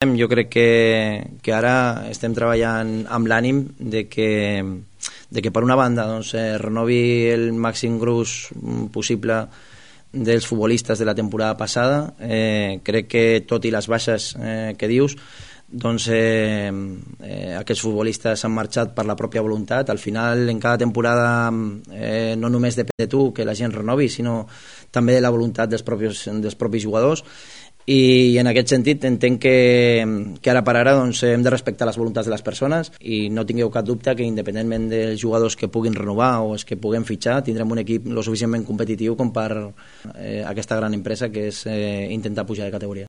Jo crec que ara estem treballant amb l'ànim de que per una banda renovi el màxim gruix possible dels futbolistes de la temporada passada. Crec que tot i les baixes que dius, aquests futbolistes han marxat per la pròpia voluntat. Al final, en cada temporada no només depèn de tu que la gent renovi, sinó també de la voluntat dels propis jugadors. I en aquest sentit entenc que ara per ara hem de respectar les voluntats de les persones i no tingueu cap dubte que independentment dels jugadors que puguin renovar o els que puguem fitxar, tindrem un equip lo suficientment competitiu com per aquesta gran empresa que és intentar pujar de categoria.